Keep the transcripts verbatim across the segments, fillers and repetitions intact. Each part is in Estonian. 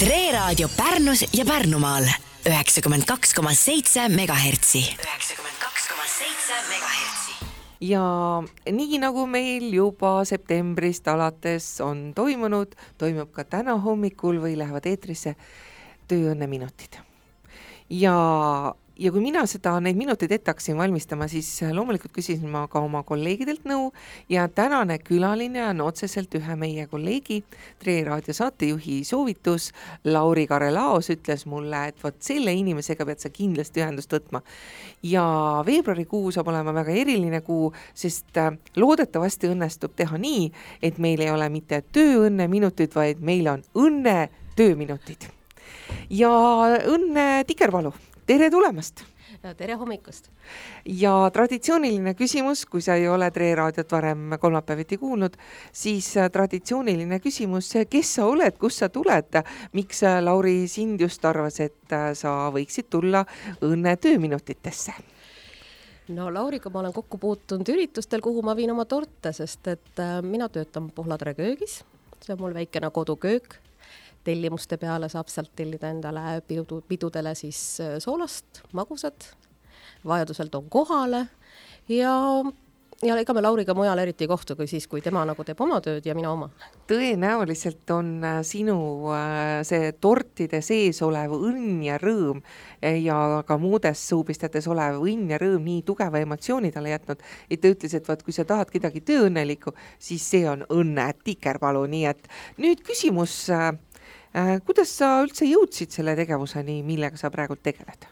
Tre Raadio Pärnus ja Pärnumaal üheksakümmend kaks koma seitse megahertsi. üheksakümmend kaks koma seitse megahertsi. Ja nii nagu meil juba septembrist alates on toimunud, toimub ka täna hommikul või lähevad eetrisse tööõnneminutid. Ja, ja kui mina seda neid minuteid ette hakkasin valmistama, siis loomulikult küsisin ma ka oma kolleegidelt nõu ja tänane külaline on otseselt ühe meie kolleegi, Tre Raadio saatejuhi soovitus. Lauri Karelaos ütles mulle, et võt selle inimesega pead sa kindlasti ühendust võtma. Ja veebruarikuu saab olema väga eriline kuu, sest loodetavasti õnnestub teha nii, et meil ei ole mitte tööõnne minutid, vaid meil on õnne tööminutid. Ja õnne Tikervalu, tere tulemast! Tere hommikust! Ja traditsiooniline küsimus, kui sa ei ole Tre Raadiot varem kolmapäeviti kuulnud, siis traditsiooniline küsimus, kes sa oled, kus sa tuled, miks Lauri sind just arvas, et sa võiksid tulla õnne tööminutitesse? No Lauriga ma olen kokku puutunud üritustel, kuhu ma viin oma torte, sest et mina töötan Pohladere köögis, see on mul väikene koduköök. Tellimuste peale saab sealt tellida endale pidu, pidudele siis soolast, magusad, vajadusel toon kohale ja, ja ega me Lauriga mujal eriti ei kohtu kui siis, kui tema nagu teeb oma tööd ja mina oma. Tõenäoliselt on sinu see tortide sees olev õnn ja rõõm ja ka muudes suupistetes olev õnn ja rõõm nii tugeva emotsiooni talle jätnud, et ta ütles, et vaat, kui sa tahad kedagi tööõnnelikku, siis see on õnne Tikervalu, nii et nüüd küsimus... Kuidas sa üldse jõudsid selle tegevuseni, millega sa praegu tegeled?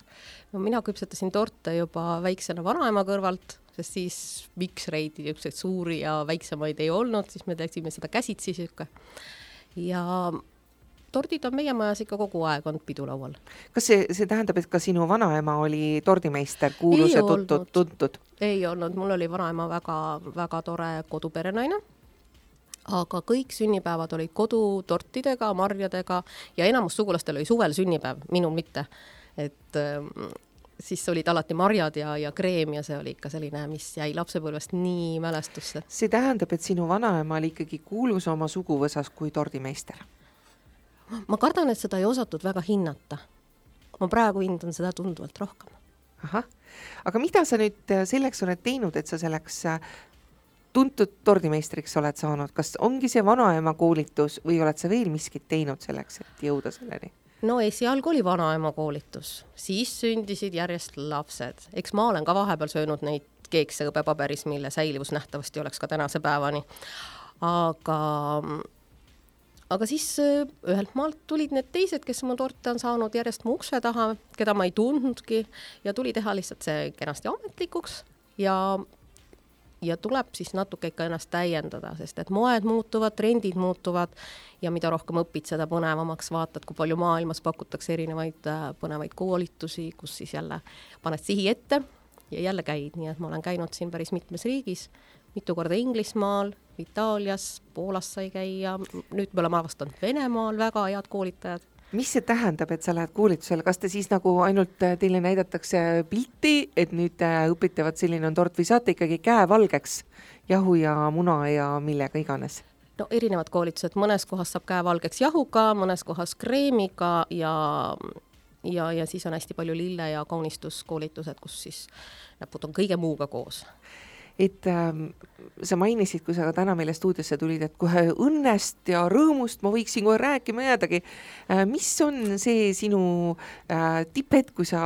No, mina küpsetasin torte juba väiksena vanaema kõrvalt, sest siis miksreid niisuguseid suuri ja väiksemaid ei olnud, siis me teeksime seda käsitsi sükke. Ja tordid on meie majas ikka kogu aeg on pidulaual. Kas see, see tähendab, et ka sinu vanaema oli tordimeister, kuulus ja tuntud, tuntud? Ei olnud, mul oli vanaema väga, väga tore koduperenaine. Aga kõik sünnipäevad olid kodutortidega, marjadega ja enamus sugulastel oli suvel sünnipäev, minul mitte. Et äh, siis olid alati marjad ja, ja kreem ja see oli ikka selline, mis jäi lapsepõlvest nii mälestusse. See tähendab, et sinu vanaema oli ikkagi kuulus oma suguvõsas kui tordimeister? Ma kardan, et seda ei osatud väga hinnata. Ma praegu hindan seda tunduvalt rohkem. Aha. Aga mida sa nüüd selleks oled teinud, et sa selleks... tuntud tordimeistriks oled saanud, kas ongi see vanaema koolitus või oled sa veel miskit teinud selleks, et jõuda selleni? No esialgu oli vanaema koolitus, siis sündisid järjest lapsed. Eks ma olen ka vahepeal söönud neid keekse õbepaberis, mille säilivus nähtavasti oleks ka tänase päevani. Aga, aga siis ühelt maalt tulid need teised, kes mu torte on saanud järjest mu ukse taha, keda ma ei tundnudki ja tuli teha lihtsalt see kenasti ametlikuks ja ja tuleb siis natuke ikka ennast täiendada, sest et moed muutuvad, trendid muutuvad ja mida rohkem õpid, seda põnevamaks vaatad, kui palju maailmas pakutakse erinevaid põnevaid koolitusi, kus siis jälle paned sihi ette ja jälle käid. Nii et ma olen käinud siin päris mitmes riigis, mitu korda Inglismaal, Itaalias, Poolas sai käia, nüüd me oleme avastanud Venemaal väga head koolitajad. Mis see tähendab, et sa lähed koolitusele? Kas te siis nagu ainult teile näidatakse pilti, et nüüd õpitavad selline on tort või saate ikkagi käe valgeks jahu ja muna ja millega iganes? No erinevad koolitused, mõnes kohas saab käe valgeks jahuga, mõnes kohas kreemiga ja, ja, ja siis on hästi palju lille- ja kaunistuskoolitused, kus siis näpud on kõige muuga koos. Et äh, sa mainisid, kui sa ka täna meile stuudiosse tulid, et kohe õnnest ja rõõmust ma võiksin kohe rääkima jäädagi. Äh, mis on see sinu äh, tippet, kui sa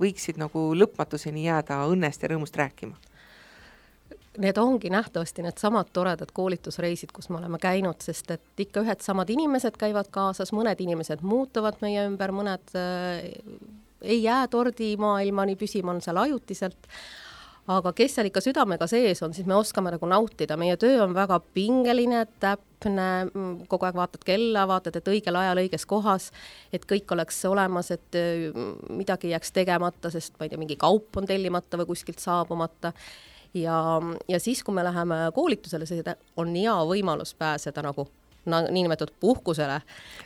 võiksid nagu lõpmatuseni jääda õnnest ja rõõmust rääkima? Need ongi nähtavasti need samad toredad koolitusreisid, kus me oleme käinud, sest et ikka ühed samad inimesed käivad kaasas, mõned inimesed muutuvad meie ümber, mõned äh, ei jää tordi maailmani püsima, on seal ajutiselt. Aga kes seal ikka südamega sees on, siis me oskame nagu nautida. Meie töö on väga pingeline, täpne, kogu aeg vaatad kella, vaatad, et õigel ajal õiges kohas, et kõik oleks olemas, et midagi jääks tegemata, sest ma ei tea, mingi kaup on tellimata või kuskilt saabumata. Ja, ja siis, kui me läheme koolitusele, see on hea võimalus pääseda nagu niinimetatud puhkusele,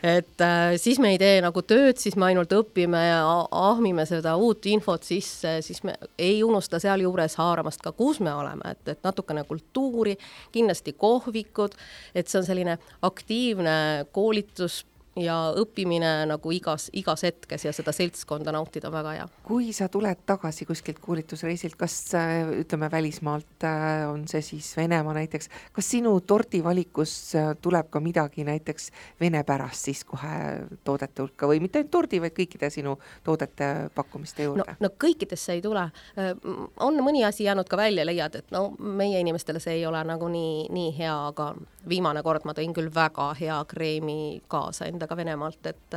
et äh, siis me ei tee nagu tööd, siis me ainult õpime ja ahmime seda uut infot sisse, siis me ei unusta seal juures haaramast ka, kus me oleme, et, et natukene kultuuri, kindlasti kohvikud, et see on selline aktiivne koolitus ja õppimine nagu igas, igas hetkes ja seda seltskonda nautida väga hea. Kui sa tuled tagasi kuskilt koolitusreisilt, kas ütleme välismaalt on see siis Venemaa näiteks, kas sinu tordivalikus tuleb ka midagi näiteks vene pärast siis kohe toodete hulka või mitte ainult tordi, vaid kõikide sinu toodete pakkumiste juurde? No, no kõikidesse ei tule. On mõni asi jäänud ka välja, leiad, et no meie inimestele see ei ole nagu nii, nii hea, aga viimane kord ma tõin küll väga hea kreemi kaasa endaga Venemaalt, et,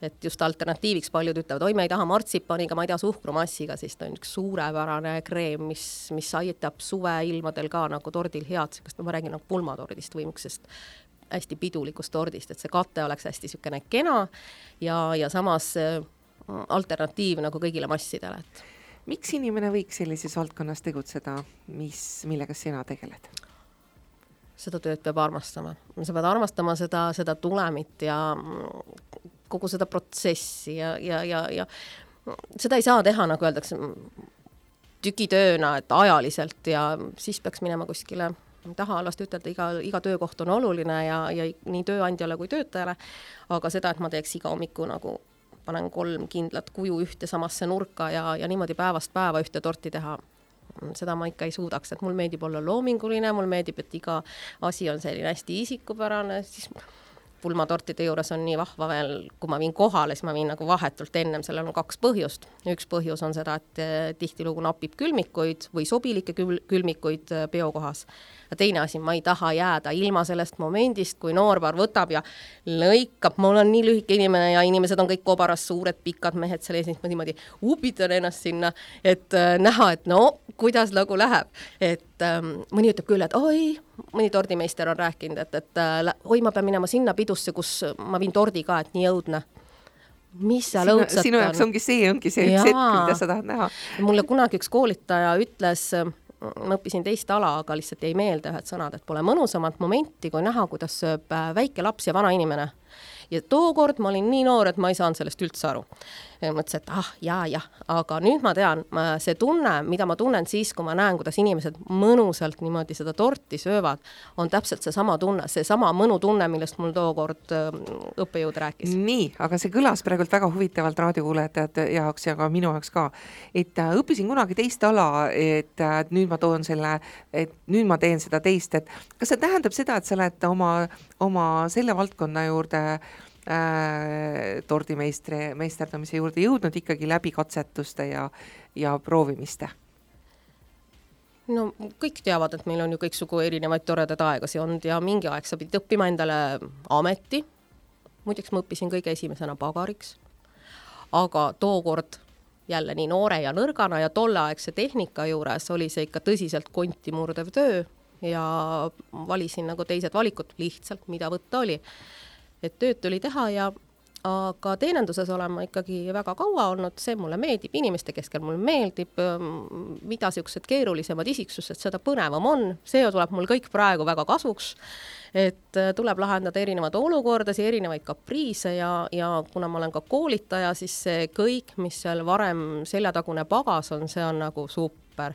et just alternatiiviks paljud ütlevad, oi, ma ei taha martsipaniga, ma ei taha suhkrumassiga, siis ta on üks suurepärane kreem, mis, mis aitab suveilmadel ka nagu tordil head, sest ma räägin nagu pulmatordist või mõksest hästi pidulikust tordist, et see kate oleks hästi sükene kena ja, ja samas alternatiiv nagu kõigile massidele. Et... Miks inimene võiks sellises valdkonnas tegutseda, mis, millega sina tegeled? Seda tööd peab armastama. Sa pead armastama seda, seda tulemit ja kogu seda protsessi ja, ja, ja, ja seda ei saa teha, nagu öeldakse, tükitööna, et ajaliselt ja siis peaks minema kuskile, taha alasti ütelda, iga, iga töökoht on oluline ja, ja nii tööandjale kui töötajale, aga seda, et ma teeks iga hommiku nagu panen kolm kindlat kuju ühte samasse nurka ja, ja niimoodi päevast päeva ühte torti teha, seda ma ikka ei suudaks, et mul meeldib olla loominguline, mul meeldib, et iga asi on selline hästi isikupärane, siis pulmatortide juures on nii vahva veel, kui ma viin kohale, siis ma viin nagu vahetult ennem, sellel on kaks põhjust. Üks põhjus on seda, et tihtilugu napib külmikuid või sobilikke kül- külmikuid peokohas. Ja teine asi, ma ei taha jääda ilma sellest momendist, kui noorpaar võtab ja lõikab, mul on nii lühike inimene ja inimesed on kõik kobaras, suured, pikad mehed seal ees, ma niimoodi upitan ennast sinna, et äh, näha, et no, kuidas nagu läheb. Et ähm, mõni ütleb küll, et oi, mõni tordimeister on rääkinud, et, et äh, oi, ma pean minema sinna pidusse, kus ma viin tordi ka, et nii õudne. Mis seal sinu, õudsat sinu on? Sinu ongi see, ongi see üks hetk, mida sa tahad näha. Mulle kunagi üks koolitaja ütles, ma õppisin teist ala, aga lihtsalt jäi meelde ühed sõnad, et pole mõnusamat momenti, kui näha, kuidas sööb väike laps ja vana inimene. Ja tookord ma olin nii noor, et ma ei saanud sellest üldse aru. Ja mõtlesin, et ah, jaa, jah, aga nüüd ma tean, see tunne, mida ma tunnen siis, kui ma näen, kuidas inimesed mõnusalt niimoodi seda torti söövad, on täpselt see sama tunne, see sama mõnu tunne, millest mul tookord õppejõud rääkis. Nii, aga see kõlas praegult väga huvitavalt raadiokuulajate jaoks ja ka minu jaoks ka, et õppisin kunagi teist ala, et nüüd ma toon selle, et nüüd ma teen seda teist, et kas see tähendab seda, et sa oled oma, oma selle valdkonna juurde Äh, tordimeistri meisterdamise juurde jõudnud ikkagi läbi katsetuste ja, ja proovimiste? No kõik teavad, et meil on ju kõiksugu erinevaid toredad aegasi olnud ja mingi aeg sa pidid õppima endale ameti. Muideks ma õppisin kõige esimesena pagariks, aga tookord jälle nii noore ja nõrgana ja tolleaegse tehnika juures oli see ikka tõsiselt konti murdev töö ja valisin nagu teised valikud lihtsalt, mida võtta oli. Et tööd tuli teha ja aga teenenduses olen ma ikkagi väga kaua olnud, see mulle meeldib, inimeste keskel mulle meeldib, mida siuksed keerulisemad isiksused, seda põnevam on, see tuleb mul kõik praegu väga kasuks, et tuleb lahendada erinevaid olukordasid, erinevaid kapriise ja, ja kuna ma olen ka koolitaja, siis see kõik, mis seal varem seljatagune pagas on, see on nagu super,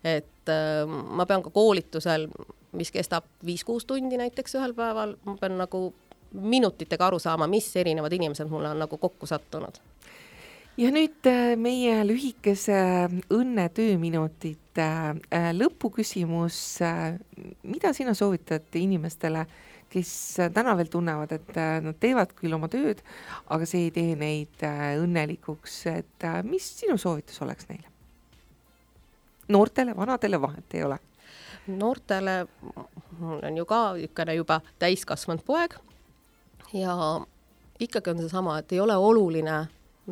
et ma pean ka koolitusel, mis kestab viis-kuus tundi näiteks ühel päeval, ma pean nagu minutitega aru saama, mis erinevad inimesed mulle on nagu kokku sattunud. Ja nüüd meie lühikese õnne tööminutit lõpuküsimus, mida sina soovitad inimestele, kes täna veel tunnevad, et nad teevad küll oma tööd, aga see ei tee neid õnnelikuks, et mis sinu soovitus oleks neile? Noortele, vanadele vahet ei ole? Noortele on ju ka ükene juba täiskasvanud poeg, ja ikkagi on see sama, et ei ole oluline,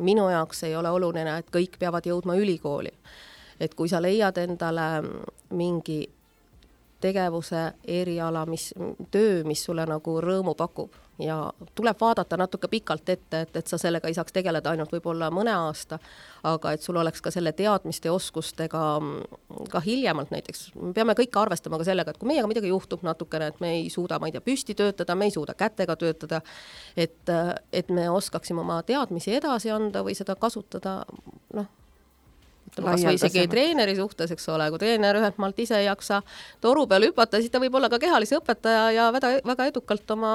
minu jaoks ei ole oluline, et kõik peavad jõudma ülikooli. Et kui sa leiad endale mingi tegevuse, eriala, mis, töö, mis sulle nagu rõõmu pakub ja tuleb vaadata natuke pikalt ette, et, et sa sellega ei saaks tegeleda ainult võib-olla mõne aasta, aga et sul oleks ka selle teadmiste ja oskustega ka hiljemalt näiteks. Me peame kõik arvestama ka sellega, et kui meiega midagi juhtub natukene, et me ei suuda, ma ei tea, püsti töötada, me ei suuda kätega töötada, et, et me oskaksime oma teadmisi edasi anda või seda kasutada, noh, kas või isegi treeneri suhtes, eks ole, kui treener ühelt maalt ise ei jaksa toru peal hüpata, siis ta võib olla ka kehalise õpetaja ja väga, väga edukalt oma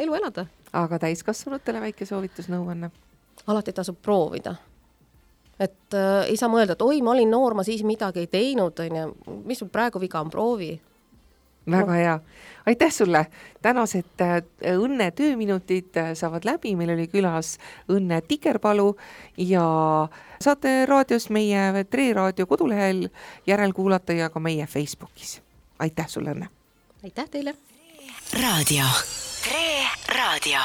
elu elada. aga täiskasvanutele väike soovitusnõuanne? Alati tasub proovida. Et äh, ei saa mõelda, et oi, ma olin noor, ma siis midagi ei teinud, on ja, mis sul praegu viga on, proovi. Väga hea. Aitäh sulle. Tänased Õnne tööminutid saavad läbi. Meil oli külas Õnne Tikerpalu ja saate raadios meie Tre Raadio kodulehel järelkuulata ja ka meie Facebookis. Aitäh sulle, Õnne. Aitäh teile. Raadio. Tre Raadio.